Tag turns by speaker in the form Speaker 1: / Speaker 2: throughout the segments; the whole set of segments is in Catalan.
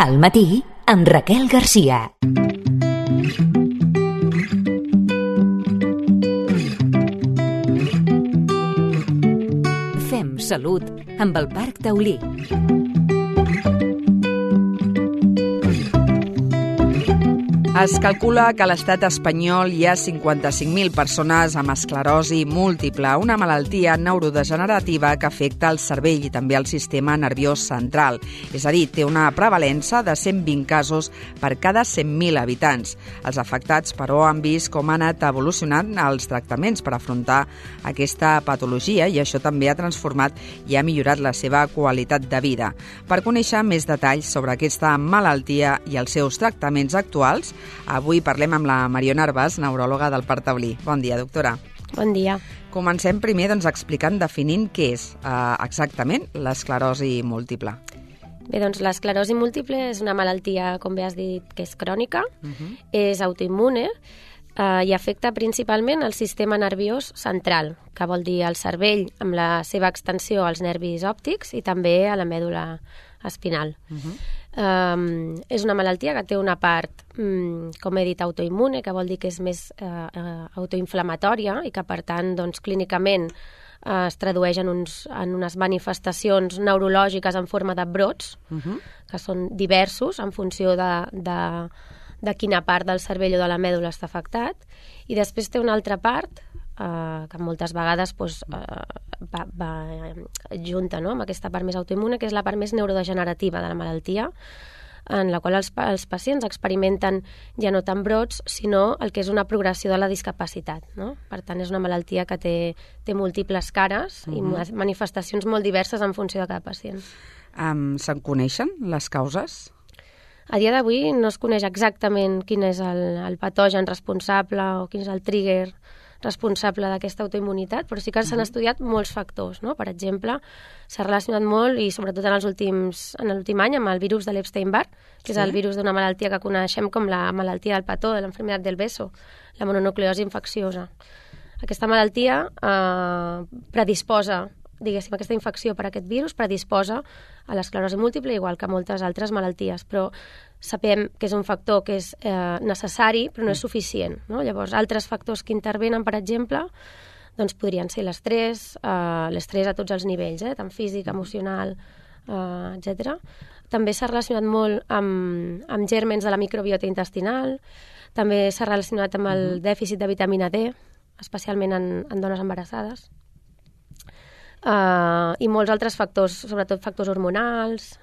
Speaker 1: Al matí, amb Raquel Garcia. Fem salut amb el Parc Taulí.
Speaker 2: Es calcula que a l'estat espanyol hi ha 55.000 persones amb esclerosi múltiple, una malaltia neurodegenerativa que afecta el cervell i també el sistema nerviós central. És a dir, té una prevalença de 120 casos per cada 100.000 habitants. Els afectats, però, han vist com han anat evolucionant els tractaments per afrontar aquesta patologia i això també ha transformat i ha millorat la seva qualitat de vida. Per conèixer més detalls sobre aquesta malaltia i els seus tractaments actuals, avui parlem amb la Mariona Arbàs, neuròloga del Parc Taulí. Bon dia, doctora.
Speaker 3: Bon dia.
Speaker 2: Comencem primer explicant, definint què és exactament l'esclerosi múltiple.
Speaker 3: Bé, doncs l'esclerosi múltiple és una malaltia, com bé has dit, que és crònica, és autoimmune i afecta principalment el sistema nerviós central, que vol dir el cervell amb la seva extensió als nervis òptics i també a la mèdula espinal. És una malaltia que té una part, com he dit, autoimmune, que vol dir que és més autoinflamatòria i que, per tant, doncs, clínicament es tradueix en unes manifestacions neurològiques en forma de brots, que són diversos en funció de quina part del cervell o de la mèdula està afectat. I després té una altra part que moltes vegades va junta, no?, amb aquesta part més autoimmune, que és la part més neurodegenerativa de la malaltia, en la qual els pacients experimenten ja no tant brots, sinó el que és una progressió de la discapacitat, no? Per tant, és una malaltia que té múltiples cares i manifestacions molt diverses en funció de cada pacient.
Speaker 2: Se'n coneixen les causes?
Speaker 3: A dia d'avui no es coneix exactament quin és el patogen responsable o quin és el trigger responsable d'aquesta autoimmunitat, però sí que s'han estudiat molts factors, no? Per exemple, s'ha relacionat molt, i sobretot en l'últim any, amb el virus de l'Epstein-Barr, que és el virus d'una malaltia que coneixem com la malaltia del petó, de l'enfermedad del beso, la mononucleosi infecciosa. Aquesta malaltia predisposa, diguéssim, aquesta infecció per aquest virus predisposa a l'esclerosi múltiple, igual que moltes altres malalties, però sabem que és un factor que és necessari, però no és suficient, no? Llavors, altres factors que intervenen, per exemple, doncs podrien ser l'estrès a tots els nivells, tant físic, emocional, etc. També s'ha relacionat molt amb gèrmens de la microbiota intestinal, també s'ha relacionat amb el dèficit de vitamina D, especialment en dones embarassades, i molts altres factors, sobretot factors hormonals.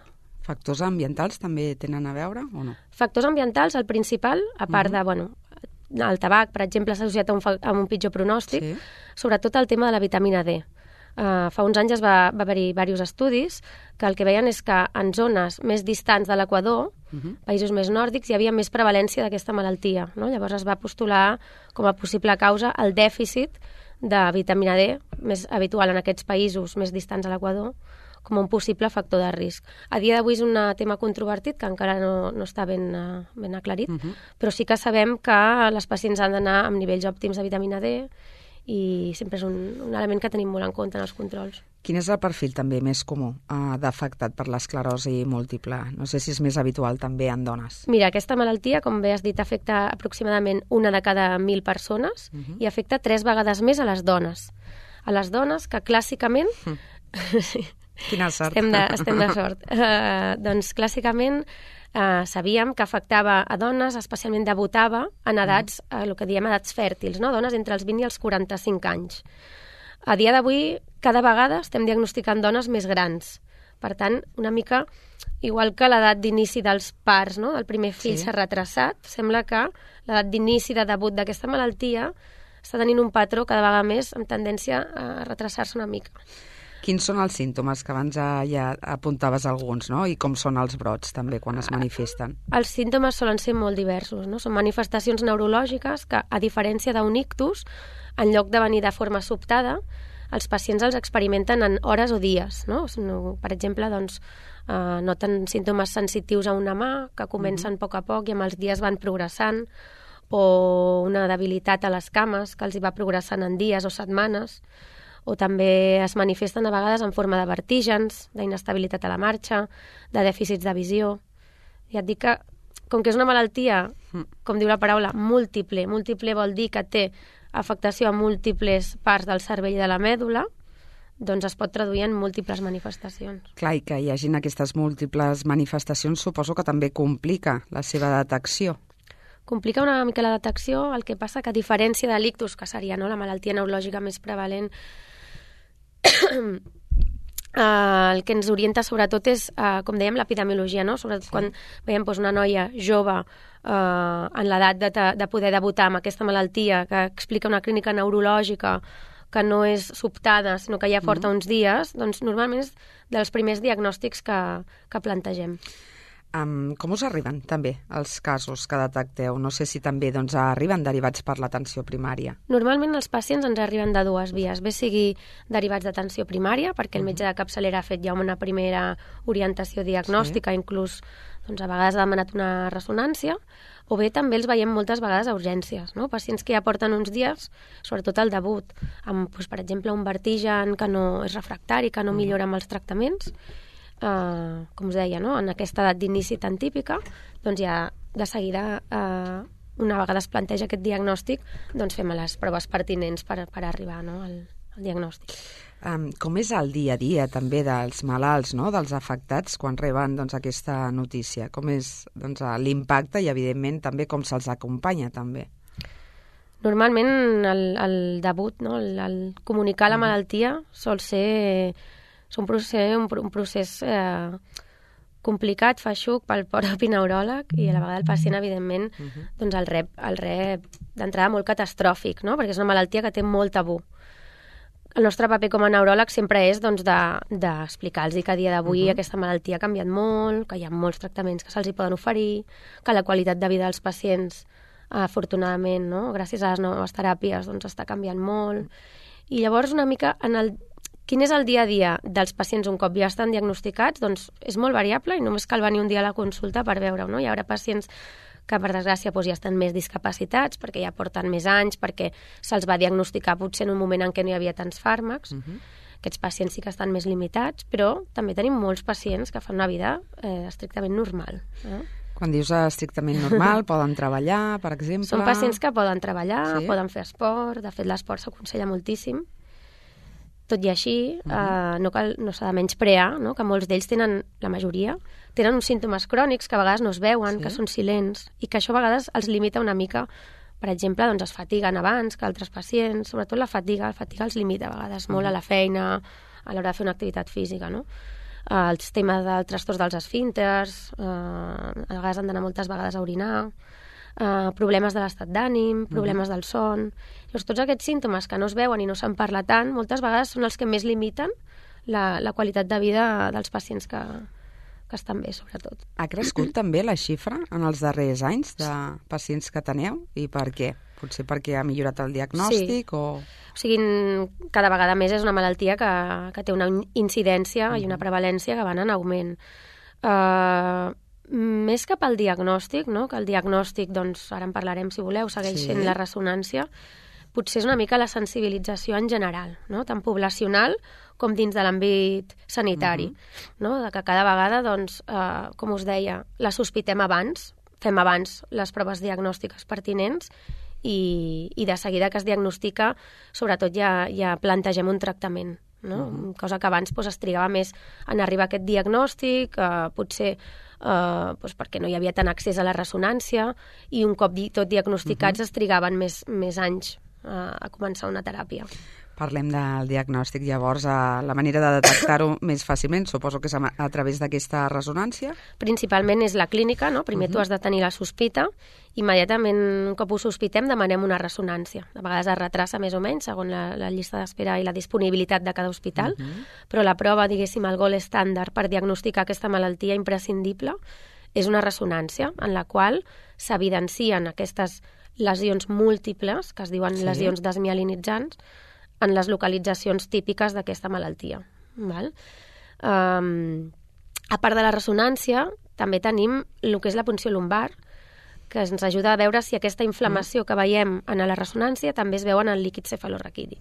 Speaker 2: Factors ambientals també tenen a veure o no?
Speaker 3: Factors ambientals, el principal, a part de, el tabac, per exemple, s'ha associat a un pitjor pronòstic, sobretot el tema de la vitamina D. Fa uns anys va haver-hi diversos estudis que el que veien és que en zones més distants de l'equador, països més nòrdics, hi havia més prevalència d'aquesta malaltia, no? Llavors es va postular com a possible causa el dèficit de vitamina D, més habitual en aquests països més distants a l'equador, com un possible factor de risc. A dia d'avui és un tema controvertit que encara no està ben aclarit, però sí que sabem que les pacients han d'anar amb nivells òptims de vitamina D i sempre és un element que tenim molt en compte en els controls.
Speaker 2: Quin és el perfil també més comú d'afectat per l'esclerosi múltiple? No sé si és més habitual també en dones.
Speaker 3: Mira, aquesta malaltia, com bé has dit, afecta aproximadament 1 de cada 1.000 persones i afecta 3 vegades més a les dones. A les dones que clàssicament...
Speaker 2: Quina sort.
Speaker 3: Estem de sort. Doncs clàssicament sabíem que afectava a dones, especialment debutava en edats, el que diem edats fèrtils, no? Dones entre els 20 i els 45 anys. A dia d'avui, cada vegada estem diagnosticant dones més grans. Per tant, una mica igual que l'edat d'inici dels parts, no? El primer fill s'ha retrasat. Sembla que l'edat d'inici de debut d'aquesta malaltia està tenint un patró cada vegada més amb tendència a retrasar-se una mica.
Speaker 2: Quins són els símptomes, que abans ja apuntaves alguns, no? I com són els brots també quan es manifesten?
Speaker 3: Els símptomes solen ser molt diversos, no? Són manifestacions neurològiques que, a diferència d'un ictus, en lloc de venir de forma sobtada, els pacients els experimenten en hores o dies, no? Per exemple, doncs, noten símptomes sensitius a una mà que comencen a poc i amb els dies van progressant, o una debilitat a les cames que els hi va progressant en dies o setmanes, o també es manifesten a vegades en forma de vertígens, d'inestabilitat a la marxa, de dèficits de visió. Ja et dic que, com que és una malaltia, com diu la paraula, múltiple vol dir que té afectació a múltiples parts del cervell i de la mèdula, doncs es pot traduir en múltiples manifestacions.
Speaker 2: Clar, i que hi hagin aquestes múltiples manifestacions suposo que també complica la seva detecció.
Speaker 3: Complica una mica la detecció, el que passa que a diferència de l'ictus, que seria la malaltia neurològica més prevalent, el que ens orienta sobretot és, com dèiem, l'epidemiologia, no? Sobretot quan veiem una noia jove en l'edat de poder debutar amb aquesta malaltia, que explica una clínica neurològica que no és sobtada, sinó que ja porta uns dies, doncs normalment és dels primers diagnòstics que plantegem.
Speaker 2: Com us arriben també els casos que detecteu? No sé si també arriben derivats per l'atenció primària.
Speaker 3: Normalment els pacients ens arriben de dues vies, bé sigui derivats d'atenció primària, perquè el metge de capçalera ha fet ja una primera orientació diagnòstica, inclús a vegades ha demanat una ressonància, o bé també els veiem moltes vegades a urgències, no? Pacients que ja porten uns dies, sobretot al debut, amb, per exemple, un vertigen que no és refractari, que no millora amb els tractaments, com us deia, no? En aquesta edat d'inici tan típica, doncs ja de seguida, una vegada es planteja aquest diagnòstic, doncs fem les proves pertinents per arribar al diagnòstic.
Speaker 2: Com és el dia a dia també dels malalts, no? Dels afectats, quan reben aquesta notícia? Com és l'impacte i, evidentment, també com se'ls acompanya també?
Speaker 3: Normalment el debut, no? El comunicar la malaltia sol ser un procés complicat, feixuc pel propi neuròleg, i a la vegada el pacient, evidentment, el rep d'entrada molt catastròfic, no? Perquè és una malaltia que té molt tabú. El nostre paper com a neuròleg sempre és d'explicar-los que a dia d'avui aquesta malaltia ha canviat molt, que hi ha molts tractaments que se'ls poden oferir, que la qualitat de vida dels pacients, afortunadament, no? Gràcies a les noves teràpies, està canviant molt. I llavors, una mica, quin és el dia a dia dels pacients un cop ja estan diagnosticats? Doncs és molt variable i només cal venir un dia a la consulta per veure-ho, no? Hi haurà pacients que, per desgràcia, ja estan més discapacitats, perquè ja porten més anys, perquè se'ls va diagnosticar potser en un moment en què no hi havia tants fàrmacs. Aquests pacients sí que estan més limitats, però també tenim molts pacients que fan una vida estrictament normal.
Speaker 2: Quan dius estrictament normal, poden treballar, per exemple?
Speaker 3: Són pacients que poden treballar, poden fer esport, de fet l'esport s'aconsella moltíssim. Tot i així, no s'ha de menysprear, no? Que molts d'ells tenen, la majoria, tenen uns símptomes crònics que a vegades no es veuen, que són silents, i que això a vegades els limita una mica. Per exemple, es fatiguen abans que altres pacients, sobretot la fatiga els limita a vegades molt a la feina, a l'hora de fer una activitat física, no? Els temes del trastorn dels esfínters, a vegades han d'anar moltes vegades a orinar, problemes de l'estat d'ànim, problemes del son. Llavors, tots aquests símptomes que no es veuen i no se'n parla tant, moltes vegades són els que més limiten la qualitat de vida dels pacients que estan bé, sobretot.
Speaker 2: Ha crescut també la xifra en els darrers anys de pacients que teniu? I per què? Potser perquè ha millorat el diagnòstic? O
Speaker 3: sigui, cada vegada més és una malaltia que té una incidència i una prevalència que van en augment. Més cap al diagnòstic, no? Que el diagnòstic, ara en parlarem si voleu, segueix sent la ressonància, potser és una mica la sensibilització en general, no? Tant poblacional com dins de l'àmbit sanitari, no? De que cada vegada, com us deia, la sospitem abans, fem abans les proves diagnòstiques pertinents i de seguida que es diagnostica, sobretot ja plantegem un tractament, no? Cosa que abans es trigava més en arribar a aquest diagnòstic, potser perquè no hi havia tant accés a la ressonància, i un cop tot diagnosticats es trigaven més anys a començar una teràpia.
Speaker 2: Parlem del diagnòstic, llavors, la manera de detectar-ho més fàcilment, suposo que és a través d'aquesta ressonància?
Speaker 3: Principalment és la clínica, no? Primer tu has de tenir la sospita, immediatament, un cop ho sospitem, demanem una ressonància. De vegades es retrassa més o menys, segons la llista d'espera i la disponibilitat de cada hospital, però la prova, diguéssim, el gold estàndard per diagnosticar aquesta malaltia imprescindible és una ressonància en la qual s'evidencien aquestes lesions múltiples, que es diuen lesions desmielinitzants, en les localitzacions típiques d'aquesta malaltia. Val? A part de la ressonància, també tenim el que és la punció lumbar, que ens ajuda a veure si aquesta inflamació que veiem en la ressonància també es veu en el líquid cefalorraquidi.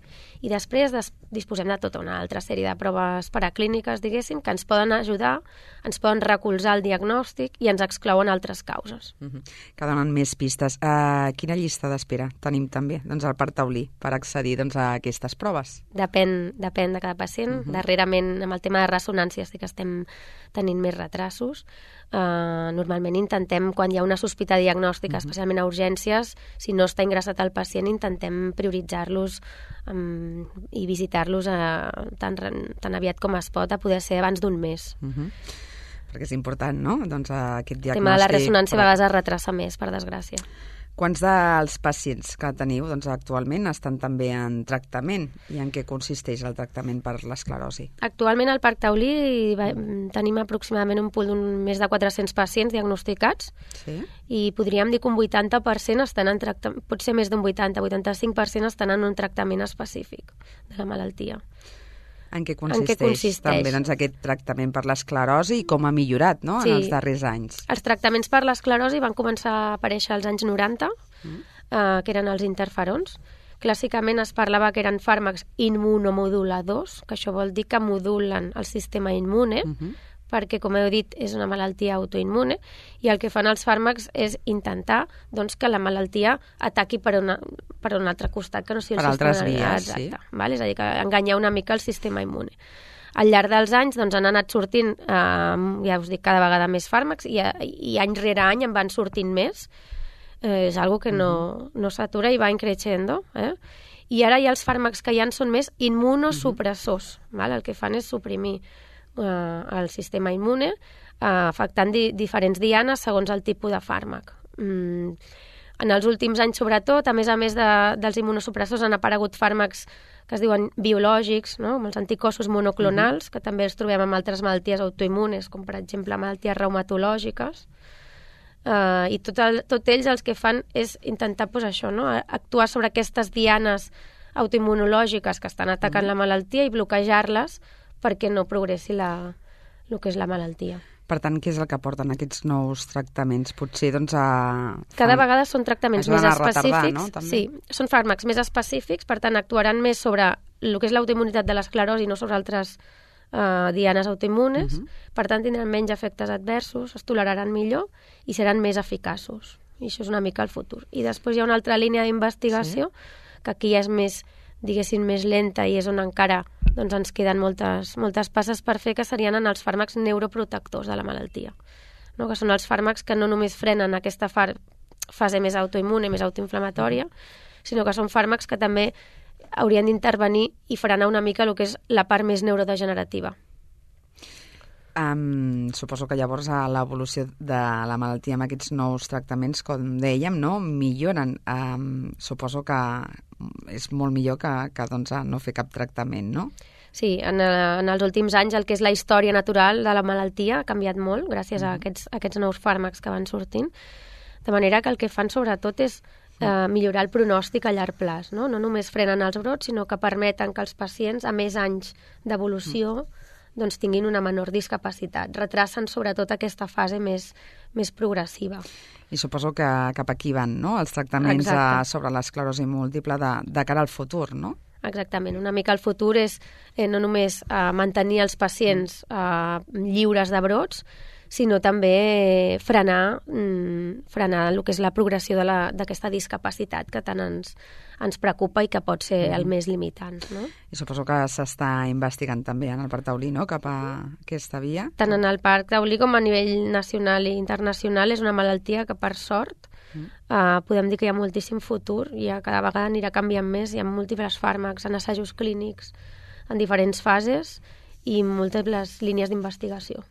Speaker 3: I després disposem de tota una altra sèrie de proves paraclíniques, diguéssim, que ens poden ajudar, ens poden recolzar el diagnòstic i ens exclouen altres causes.
Speaker 2: Que donen més pistes. Quina llista d'espera tenim també al Parc Taulí per accedir a aquestes proves?
Speaker 3: Depèn de cada pacient. Darrerament, amb el tema de ressonància, sí que estem tenint més retrasos. Normalment intentem, quan hi ha una sospita diagnòstica, especialment a urgències, si no està ingressat el pacient, intentem prioritzar-los i visitar-los tan aviat com es pot, a poder ser abans d'un mes.
Speaker 2: Perquè és important, no?, aquest diagnòstic.
Speaker 3: El tema de la ressonància a vegades es retrassa més, per desgràcia.
Speaker 2: Quants dels pacients que teniu actualment estan també en tractament i en què consisteix el tractament per l'esclerosi?
Speaker 3: Actualment al Parc Taulí tenim aproximadament un pool d'un més de 400 pacients diagnosticats i podríem dir que un 80% estan en tractament, potser més d'un 85% estan en un tractament específic de la malaltia.
Speaker 2: En què consisteix també aquest tractament per l'esclerosi i com ha millorat en els darrers anys?
Speaker 3: Els tractaments per l'esclerosi van començar a aparèixer als anys 90, que eren els interferons. Clàssicament es parlava que eren fàrmacs immunomoduladors, que això vol dir que modulen el sistema immune, perquè, com heu dit, és una malaltia autoimmune, i el que fan els fàrmacs és intentar que la malaltia ataqui per un altre costat que no sigui el sistema
Speaker 2: altres vies,
Speaker 3: exacte. És a dir, que enganyar una mica el sistema immune. Al llarg dels anys han anat sortint, ja us dic, cada vegada més fàrmacs i any rere any en van sortint més. És algo que no s'atura i va increixendo. I ara ja els fàrmacs que hi ha són més immunosupressors. El que fan és suprimir el sistema immune, afectant diferents dianes segons el tipus de fàrmac. En els últims anys, sobretot, a més dels immunosupressors, han aparegut fàrmacs que es diuen biològics, com els anticossos monoclonals, que també els trobem amb altres malalties autoimmunes, com per exemple malalties reumatològiques. I tots ells els que fan és intentar actuar sobre aquestes dianes autoimmunològiques que estan atacant la malaltia i bloquejar-les perquè no progressi el que és la malaltia.
Speaker 2: Per tant, què és el que aporten aquests nous tractaments? Potser,
Speaker 3: cada vegada són tractaments més específics.
Speaker 2: No?
Speaker 3: Sí, són fàrmacs més específics, per tant, actuaran més sobre el que és l'autoimmunitat de l'esclerosi, no sobre altres dianes autoimmunes. Per tant, tindran menys efectes adversos, es toleraran millor i seran més eficaços. I això és una mica el futur. I després hi ha una altra línia d'investigació, que aquí ja és més, diguéssim, més lenta i és on encara ens queden moltes passes per fer, que serien en els fàrmacs neuroprotectors de la malaltia, que són els fàrmacs que no només frenen aquesta fase més autoimmune, més autoinflamatòria, sinó que són fàrmacs que també haurien d'intervenir i frenar una mica el que és la part més neurodegenerativa.
Speaker 2: Suposo que llavors l'evolució de la malaltia amb aquests nous tractaments, com dèiem, milloren. Suposo que és molt millor que no fer cap tractament, no?
Speaker 3: Sí, en els últims anys el que és la història natural de la malaltia ha canviat molt gràcies a aquests nous fàrmacs que van sortint, de manera que el que fan sobretot és millorar el pronòstic a llarg plaç, no només frenen els brots, sinó que permeten que els pacients, a més anys d'evolució, tinguin una menor discapacitat. Retracen sobretot aquesta fase més progressiva.
Speaker 2: I suposo que cap aquí van, no?, els tractaments sobre l'esclerosi múltiple de cara al futur, no?
Speaker 3: Exactament. Una mica el futur és no només mantenir els pacients lliures de brots, sinó també frenar el que és la progressió d'aquesta discapacitat que tant ens preocupa i que pot ser el més limitant. No?
Speaker 2: I suposo que s'està investigant també en el Parc Taulí, no?, cap a aquesta via.
Speaker 3: Tant en el Parc Taulí com a nivell nacional i internacional és una malaltia que, per sort, podem dir que hi ha moltíssim futur i cada vegada anirà canviant més. Hi ha múltiples fàrmacs en assajos clínics en diferents fases i múltiples línies d'investigació.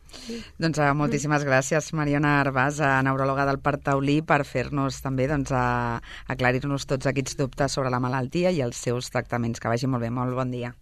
Speaker 2: Doncs moltíssimes gràcies, Mariona Arbàs, neuròloga del Parc Taulí, per fer-nos també aclarir-nos tots aquests dubtes sobre la malaltia i els seus tractaments. Que vagi molt bé, molt bon dia.